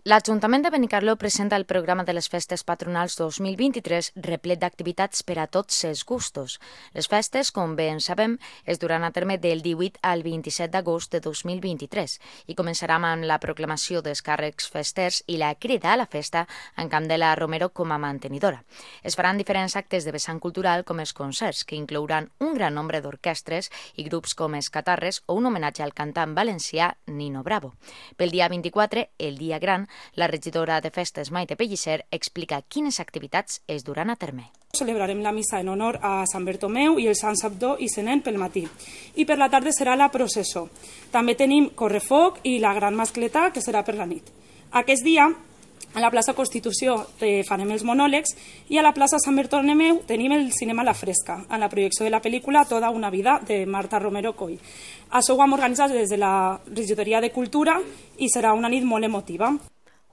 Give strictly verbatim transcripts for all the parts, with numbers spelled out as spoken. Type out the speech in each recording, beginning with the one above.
L'Ajuntament de Benicarló presenta el programa de les festes patronals dos mil vint-i-tres replet d'activitats per a tots els gustos. Les festes, com bé en sabem, es duran a terme del divuit al vint-i-set d'agost de dos mil vint-i-tres i començaran amb la proclamació dels càrrecs festers i la crida a la festa en Candela Romero com a mantenidora. Es faran diferents actes de vessant cultural com els concerts, que inclouran un gran nombre d'orquestres i grups com els Catarres o un homenatge al cantant valencià Nino Bravo. Pel dia vint-i-quatre, el dia gran, la regidora de festes Maite Pellicer explica quines activitats es duran a terme. Celebrarem la missa en honor a Sant Bertomeu i el Sant Sabdó i Senent pel matí. I per la tarda serà la processó. També tenim correfoc i la gran mascleta, que serà per la nit. Aquest dia, a la plaça Constitució farem els monòlegs i a la plaça Sant Bertomeu tenim el cinema a la fresca, en la projecció de la pel·lícula Toda una vida, de Marta Romero Coll. Això ho hem organitzat des de la regidoria de Cultura i serà una nit molt emotiva.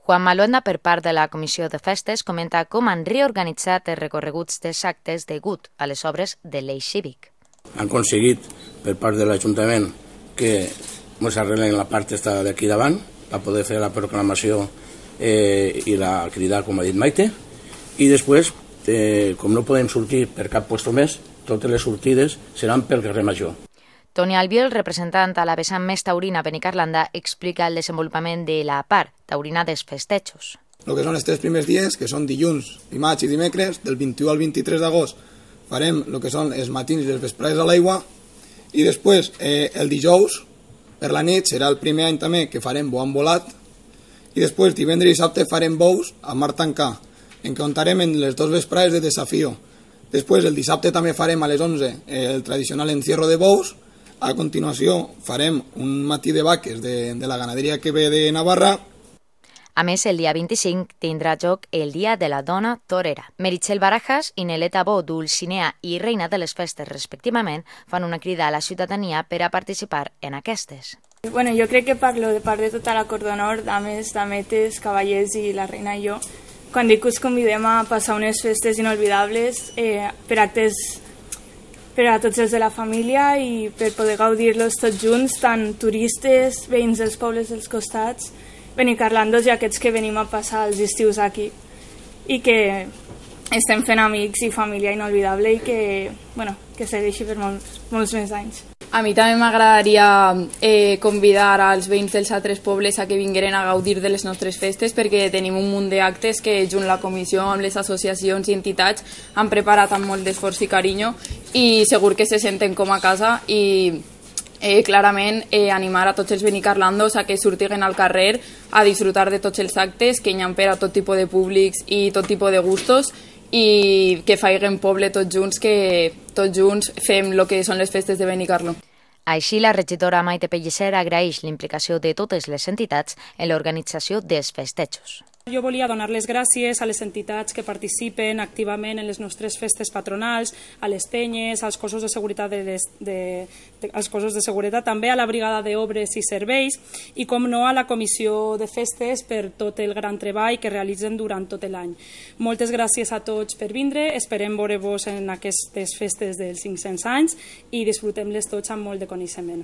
Juan Maluenda, per part de la Comissió de Festes, comenta com han reorganitzat els recorreguts dels actes degut a les obres de l'eix cívic. Han aconseguit, per part de l'Ajuntament, que ens arreglen la part d'aquí davant per poder fer la proclamació eh, i la cridar, com ha dit Maite, i després, eh, com no podem sortir per cap lloc més, totes les sortides seran pel carrer Major. Toni Albiol, representant a la vessant més taurina Benicarlanda, explica el desenvolupament de la part taurina dels festejos. El que són els tres primers dies, que són dilluns, dimarts i dimecres, del vint-i-u al vint-i-tres d'agost, farem el que són els matins i les vesprades a l'aigua, i després eh, el dijous, per la nit, serà el primer any també que farem bo volat, i després divendres i dissabte farem bous a mar tancà, en què comptarem en les dues vesprades de desafio. Després el dissabte també farem a les onze eh, el tradicional encierro de bous. A continuació farem un matí de vaques de, de la ganaderia que ve de Navarra. A més, el dia vint-i-cinc tindrà joc el Dia de la Dona Torera. Meritxell Barajas i Neleta Bo, Dulcinea i Reina de les Festes, respectivament, fan una crida a la ciutadania per a participar en aquestes. Bueno, jo crec que parlo de part de tota la Cort d'Honor, dames, dametes, cavallers i la reina i jo, quan dic que us convidem a passar unes festes inolvidables eh, per actes per a tots els de la família i per poder gaudir-los tots junts, tant turistes, veïns dels pobles dels costats, benicarlandos i aquests que venim a passar els estius aquí i que estem fent amics i família inolvidable i que, bueno, que segueixi per molts, molts més anys. A mi també m'agradaria eh, convidar als veïns dels altres pobles a que vingueren a gaudir de les nostres festes perquè tenim un munt d'actes que junt la comissió amb les associacions i entitats han preparat amb molt d'esforç i carinyo i segur que se senten com a casa i eh, clarament eh, animar a tots els benicarlandos a que surtiguen al carrer a disfrutar de tots els actes que hi ha per a tot tipus de públics i tot tipus de gustos i que faiguen poble tots junts, que tots junts fem el que són les festes de Benicarló. Així, la regidora Maite Pellicer agraeix l'implicació de totes les entitats en l'organització dels festejos. Jo volia donar les gràcies a les entitats que participen activament en les nostres festes patronals, a les penyes, als cossos de seguretat, de les, de, de, als cossos de seguretat, també a la brigada d'obres i serveis i, com no, a la comissió de festes per tot el gran treball que realitzen durant tot l'any. Moltes gràcies a tots per vindre, esperem veure-vos en aquestes festes dels cinc-cents anys i disfrutem-les tots amb molt de coneixement.